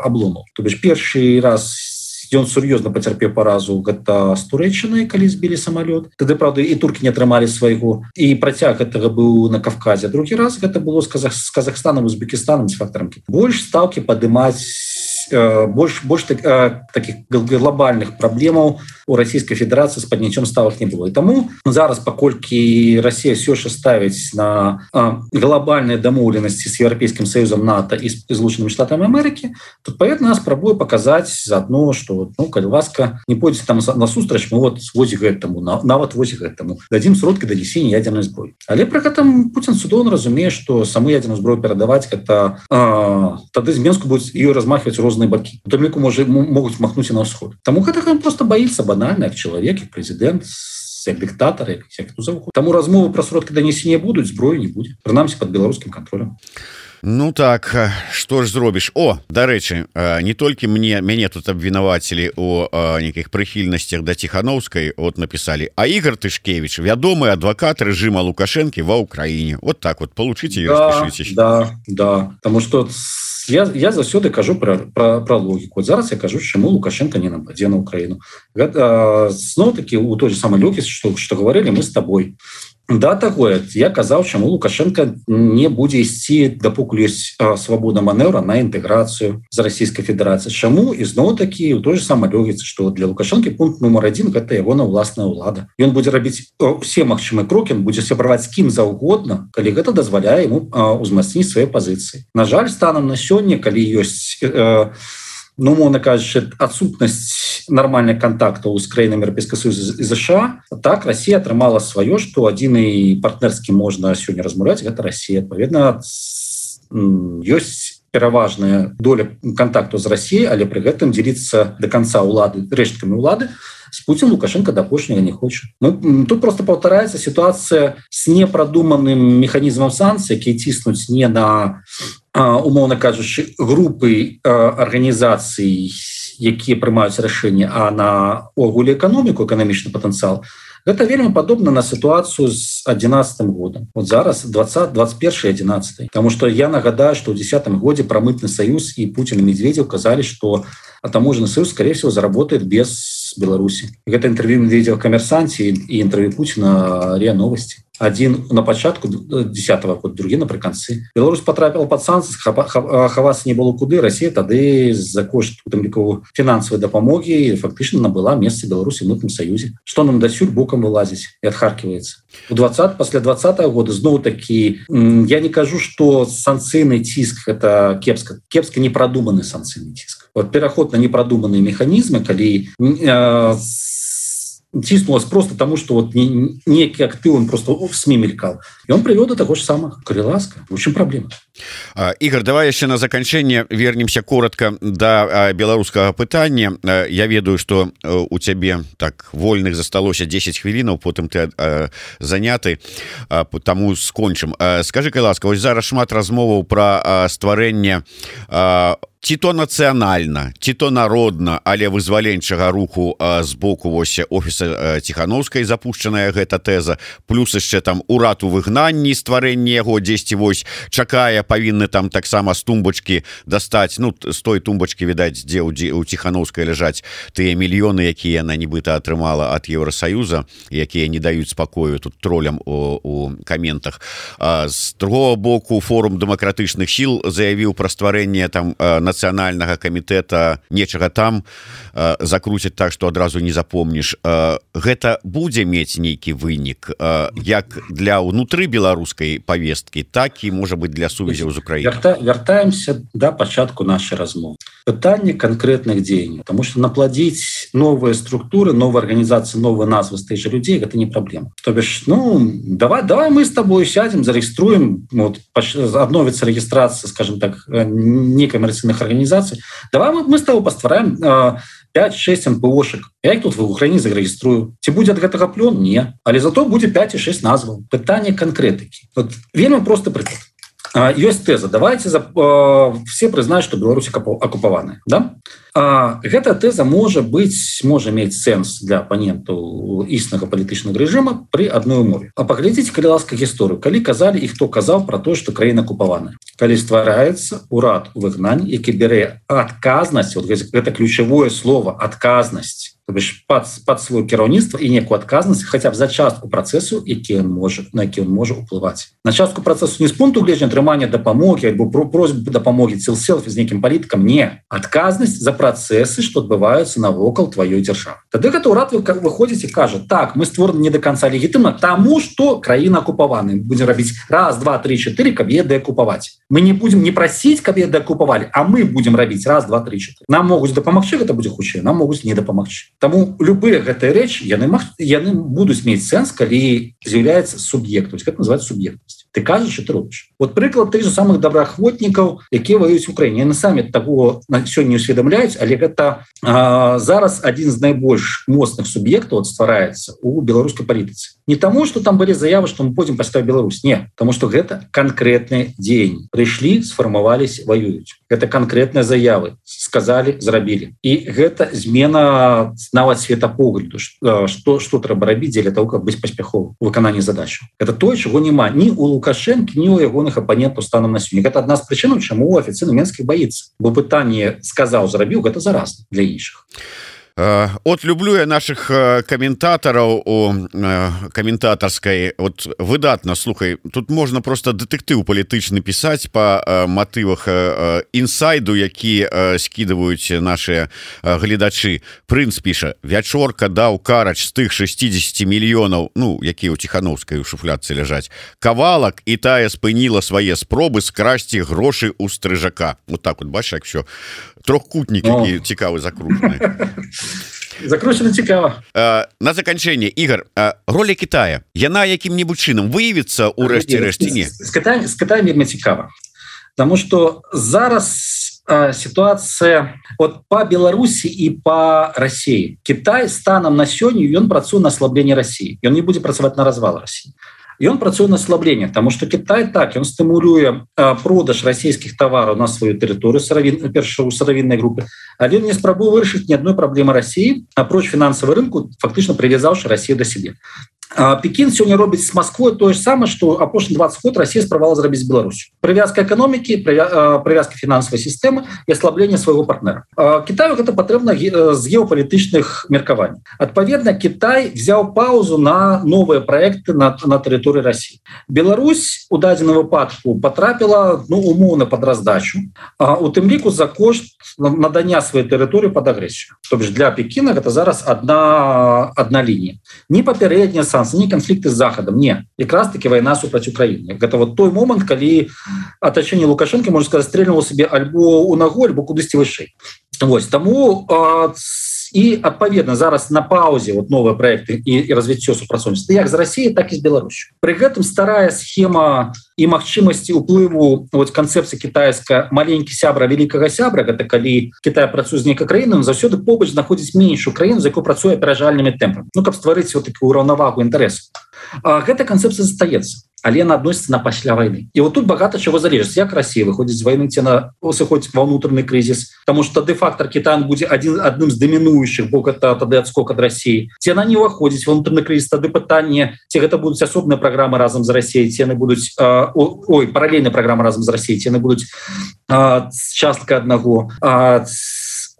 абломаў. То бишь першы раз ён сур'ёзна пацярпеў паразу гэта з Турэччынай, калі збілі самалёт. Тады, правда, і туркі не атрымалі свайго, і працяг гэтага быў на Кавказе. Другі раз гэта было з Казахстанам, Узбекістанам, з фактарам. Больш стаўкі падымаць, больш таких глобальных праблемаў у Расійскай Федэрацыі з падняццём ставак не было. І таму зараз, паколькі Расія ўсё ж ставіць на глобальныя дамоўленасці з Еўрапейскім Саюзам, НАТО і Злучанымі Штатамі Амерыкі, то адпаведна спрабуе паказаць заадно, што калі ласка, не пойдзеце там насустрач, мы вот вось гэтаму, нават вось гэтаму дадзім сродкі данесення ядернай зброі. Але пры гэтым Пуцін цудоўна разумее, што саму ядерную зброю перадаваць гэта тады з Менску будуць ее размахваць розныя бакі. У тым ліку могуць махнуць і на ўсход. Таму гэта ён просто баіцца банальна, як чалавек, як прэзідэнт, як дыктатар, як завуху. Таму размовы пра сродкі данесення будуць, зброі не будзе. Прынамсі пад беларускім кантролем. Ну так, што ж зробіш? Дарэчы, не толькі мяне тут абвінавацілі у нейкіх прыхільнасцях да Ціхановскай, написали, а Ігор Тышкевич, вядомы адвакат рэжыма Лукашэнкі ва Ўкраіне. Вот так вот, получите и распишитесь. Да, потому что я заўсёды кажу про логіку. Вот зараз я кажу, чаму Лукашенко не нападзе на Украіну. Зноў-таки у той же самой логіцы, што говорили мы с тобой. Да, такое. Я казаў, чаму Лукашенко не будзе ісці, дапокуль ёсць свабода манеўра на інтэграцыю з Расійскай Федэрацыі. Чаму? І зноў-такі ў той же самай логіцы, што для Лукашэнкі пункт нумар 1 гэта ягоная ўласная ўлада. Ён будзе рабіць усе магчымыя крокі, ён будзе сябраваць з кім заўгодна, калі гэта дазваляе яму ўзмацніць свае пазіцыі. На жаль, станам на сёння, калі ёсць умоўна кажучы, адсутнасць нармальных контактаў з краінамі Еўрапейскага Союза і ЗША, так Расія атрымала сваё, што адзіны партнерскі можна сёння размаўляць, гэта Расія. Адпаведна, ёсць пераважная доля контакту з Расіяй, але пры гэтым дзеліцца до конца ўлады рэшткамі ўлады с Путин Лукашенко до апошняга не хочет. Тут просто повторяется ситуация с непрадуманным механизмом санкций, які ціснуць не на, умоўна кажучы, групы арганізацый, якія прымаюць рашэнне, а на огуле эканоміку, эканамічны патэнцыял. Гэта вельмі падобна на сітуацыю з 11 годам. Вот зараз 21-11. Потому что я нагадаю, что в 10 годзе про мытный союз и Путин и Медведев казали, что таможенный союз, скорее всего, заработает без Беларуси. И это интервью Медведева в «Коммерсанте» и интервью Путина РИА Новости. Один на початку 10-го года, другі напрыканцы. Беларусь потрапила под санкции, хавацца не было куды. Россия тады за кошт финансовой дапамоги фактично набыла место Беларуси в мытном союзе. Что нам дасюль боком вылазить и отхаркивается. После 20-го года зноў-таки я не кажу, что санкцыйный ціск это кепска непродуманный санкцыйный ціск. Вот пераход на непродуманные механизмы, калі тиснулось просто тому, что вот некий актив, он просто в СМИ мелькал. И он привел до того же самого. Коли ласка, в общем проблема. Игорь, давай еще на заканчэнне вернемся коротко до беларускага пытання. Я ведаю, что у цябе так вольных засталося 10 хвілінаў, потым ты заняты, таму скончым. Скажы, калі ласка, вось зараз шмат размоваў пра стварэнне ці то нацыянальна, ці то народна, але вызваленчага руху з боку вось офіса Ціхановскай запушчаная гэта тэза, плюс яшчэ там урад у выгнанні, стварэнне яго дзесьці вось чакае, павінны там таксама з тумбачкі дастаць, ну з той тумбачкі, відаць, дзе у Ціхановскай ляжаць тыя мільёны, якія яна нібыта атрымала ад Еўрасаюза, якія не даюць спакою тут тролям у каментах. З другого боку, форум дэмакратычных сіл заявіў пра стварэнне там нацыянальнага камітэта, нечага там закруцяць так, што адразу не запомніш. Гэта будзе мець нейкі вынік як для ўнутры беларускай павесткі, так і можа быць для сувязяў з Украінай. Вяртаемся да пачатку нашай размовы. Пытанне конкретных дзеянняў, потому что наплодзіць новыя структуры, новыя арганізацыі, новыя назвы з тых жа людзей гэта не праблема. То бишь, давай мы с тобой сядем, зарегиструем, вот, обновится регистрация, скажем так, некоммерційных организаций. Давай мы с тобой поствараем 5-6 НПОшек. Я их тут в Украине зарегиструю. Ці будзе ад гэтага плён? Не. Але зато будзе 5 і 6 назваў. Пытанне канкрэтыкі. Вот, вельмі просты прыклад. Ёсць тэза. Давайте все прызнаюць, што Беларусь акупаваная. Да? Гэта тэза можа мець сэнс для апанентаў існага палітычнага рэжыма пры адной умове. А паглядзіце, калі ласка, гісторыю. Калі казалі і хто казаў пра тое, што краіна акупаваная. Калі ствараецца урад у выгнанні, які бярэ адказнасць, вот гэта ключавое слово адказнасць, то бишь под свое кіраўніцтва і некую адказнасць хаця б за частку працэсу, на які ён можа ўплываць. На частку працэсу не з пункту гледжання атрымання дапамогі альбо просьбы дапамогі селфі з нейкім палітыкам, не. Адказнасць за працэсы, што адбываюцца навокал тваёй дзяржавы. Тады гэта ўрад выходзіць і кажа: так, мы створаны не до конца легітымна, таму што краіна акупаваная. Будзем рабіць 1, 2, 3, 4, каб яе дэакупаваць. Мы не будзем не прасіць, каб яе дэакупавалі, а мы будзем рабіць 1, 2, 3, 4. Нам могуць дапамагчы, гэта будзе хутчэй, нам могуць не дапамагчы. Таму любыя гэтыя рэчы яны будуць мець сэнс, калі з'яўляецца суб'ектам. Гэта называется суб'ектнасць. Ты кажаш, што ты робіш. Вот прыклад тых же самых добраахвотнікаў, якія ваююць у Украіне. Яны самі таго сёння не усведамляюць, але гэта зараз адзін з найбольш моцных суб'ектаў ствараецца у беларускай палітыцы. Не таму, што там былі заявы, што мы пойдзем паставіць Беларусь. Не, таму што гэта канкрэтныя дзеянні. Прыйшлі, сфармаваліся, ваююць. Гэта канкрэтныя заявы. Сказалі, зрабілі. І гэта змена нават светапогляду, што трэба рабіць дзеля того, каб быць паспяховым у выкананні задачаў. Гэта тое, чаго няма ні у Лукашэнкі, ні у ягоных апанентаў станам на сёння. Гэта адна з прычынаў, чаму афіцыйна Менскі баіцца. Бо пытанне сказаў, зрабіў, гэта заразна для іншых. От люблю я наших каментатараў у каментатарскай вот выдатна. Слухай, тут можна просто дэтэктыў палітычны пісаць па матывах інсайду, які скідваюць наши гледачы. Прынц піша: вячорка даў карач з тых 60 мільёнаў, ну, якія ў Ціхановскай у шуфлядцы ляжаць, кавалак, і тая спыніла свае спробы скрасці грошы у стрыжака. Вот так вот, бачиш, як все трохкутнік, які цікавы закручаны. Закручена цікава. На заканчэнне, Ігор, роля Китая, яна якім-небудзь чынам выявіцца ў рэшце рэшце? Не. З Китаем вельмі цікава. Потому что зараз ситуация вот по Беларуси и по России. Китай станом на сёння ён працуе на ослабление России. И он не будет працаваць на развал России. И он працуе на ослабление, потому что Китай так, он стимулюе продаж российских товаров на свою территорию, першую сыровинной группы, але он не спрабуе вырашыць ни одной проблемы России, апроч финансового рынку, фактично привязавший Россию до себе. Пекин сегодня робіць с Москвой то же самое, что апошні 20 год Россия спрабавала зрабіць с Беларусью. Привязка экономики, привязка финансовой системы и ослабление своего партнера. Китаю это потребно с геополитичных меркований. Отповедно, Китай взял паузу на новые проекты на территории России. Беларусь у дадзеным выпадку потрапила, ну, умовно под раздачу, у тым ліку за кошт надання своей территории под агрессию. То бишь для Пекина это зараз одна линия. Не попередняя санкции, не конфликты с Заходом, не. Якраз таки война супраць Украины. Это вот той момент, калі оточение Лукашенко, можно сказать, стрельнуло себе альбо у ногу, альбо кудысьці вышэй. Вот, тому и отповедно зараз на паузе вот новые проекты и развіццё супрацоўніцтва як з Россией, так и с Беларусью. При гэтым старая схема и магчымасці уплыву вот концепции китайская маленький сябра великого сябра, это калі Китай працуе з нейкай краінай, заўсёды побач знаходзіць меншую краіну, за якой працуе аперажальнымі тэмпамі, ну каб стварыць вот такую раўнавагу інтарэсаў. Гэта концепция застаецца, але она относится на пасля войны. И вот тут богато чего залежит. Як Россия выходит из войны, ці на сыходзіць во внутренний кризис, потому что де-фактор Китай будет одним из доминующих, бо это тады отскок от России. Ці она не выходит во внутренний кризис, тады пытание, ці это будут особные программы разом с Россией, ці они будут, параллельные программы разом с Россией, ці они будут частка одного,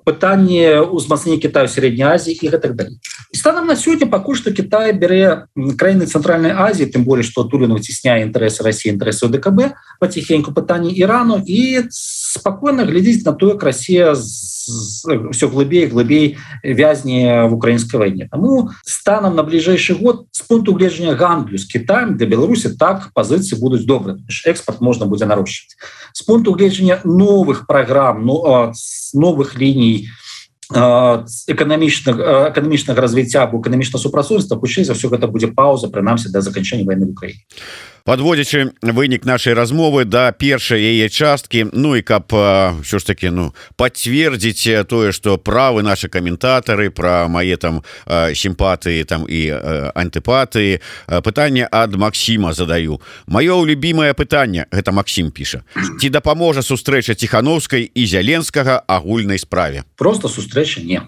пытанне узмацнення Китаю Средней Азии и так далее. И станом на сегодня пока что Китай бере краины Центральной Азии, тем более, что Турин вытесняет интересы России, интересы ОДКБ, потихоньку пытание Ирану и спокойно глядеть на то, как Россия все глубее и глубее вязне в украинской войне. Тому станом на ближайший год с пункту гледжання гандлю с Китаем для Беларуси так позиции будут добрые. Экспорт можно будет наращивать. С пункту гледжання новых программ, новых линий эканамічнага развіцця або эканамічнага супрацоўніцтва, хутчэй за ўсё гэта будзе пауза, прынамсі да заканчэння вайны в Украіне. Подводзячы вынік нашай размовы да першай яе часткі, ну і каб ўсё ж таки пацвердзіць тое, што правы нашы каментатары пра мае там сімпатыі там і антыпатыі, пытанне ад Максіма задаю. Маё любімае пытанне, гэта Максім піша: ці дапаможа сустрэча Ціхановскай і Зяленскага агульнай справе? Просто сустрэча не.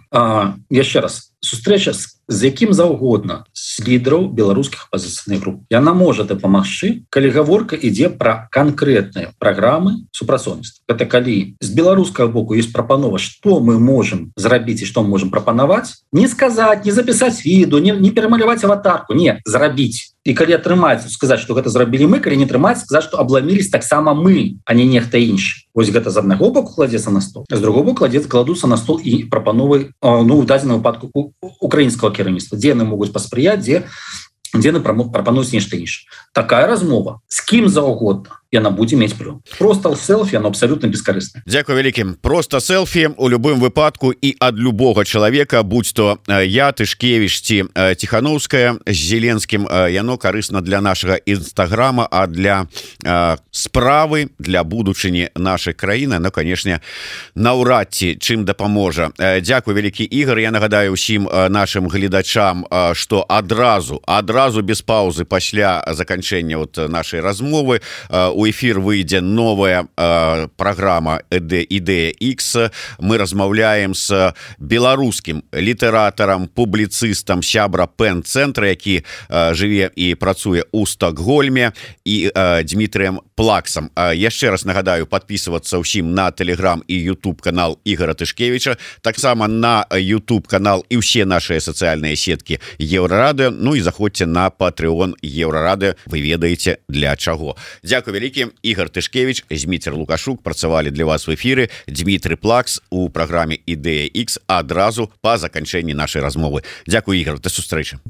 Яшчэ раз, сустрэча з якім заўгодна з лідараў беларускіх апазіцыйных груп. Яна можа дапамагчы, калі гаворка ідзе пра канкрэтныя праграмы супрацоўніцтва. Гэта калі з беларускага боку ёсць прапанова, што мы можам зрабіць і што мы можам прапанаваць, не сказаць, не запісаць відэо, не перамаляваць аватарку, не, зрабіць. І калі атрымаецца сказаць, што гэта зрабілі мы, калі не атрымаецца сказаць, што абламілись таксама мы, а не нехта іншы. Вось гэта з аднаго боку кладзецца на стол, з другого боку кладуцца на стол і прапановы, ну, в дадзеным выпадку украінскага кіраўніцтва, дзе яны могуць паспрыяць, дзе яны прапануюць нешта іншае. Такая размова з кім заўгодна яна будзе мець плён. Просто селфі, оно абсолютно бескорыстна. Дзякуй вялікім. Просто селфі у любым выпадку і ад любога чалавека, будь то я, Тышкевіч ці Ціхановская з Зеленскім, яно карысна для нашага інстаграма, а для справы, для будучыні нашай краіны, ну, канешне, наўрад ці чым дапаможа. Дзякуй вялікі, Ігор. Я нагадаю ўсім нашим гледачам, што адразу без паўзы пасля заканчэння нашай размовы у у эфир выйдзе новая программа Ідэя X. Мы размаўляем с беларускім літаратарам, публіцыстам, сябра Пен-цэнтра, які жыве і працуе ў Стокгольме, і Дмітрыем Плаксам. Яшчэ раз нагадаю, подписываться ўсім на Telegram і YouTube канал Ігора Тышкевича, таксама на YouTube канал і ўсе наши сацыяльныя сеткі Еўрарадыо. Ну і заходзьце на Patreon Еўрарадыо, вы ведаеце для чаго. Дзякуй вялікі. Ігор Тышкевич, Зміцер Лукашук працавалі для вас в эфиры. Дмітрый Плакс у праграме Ідэя X адразу па заканчэнні нашай размовы. Дзякуй, Ігор, да сустрэчы.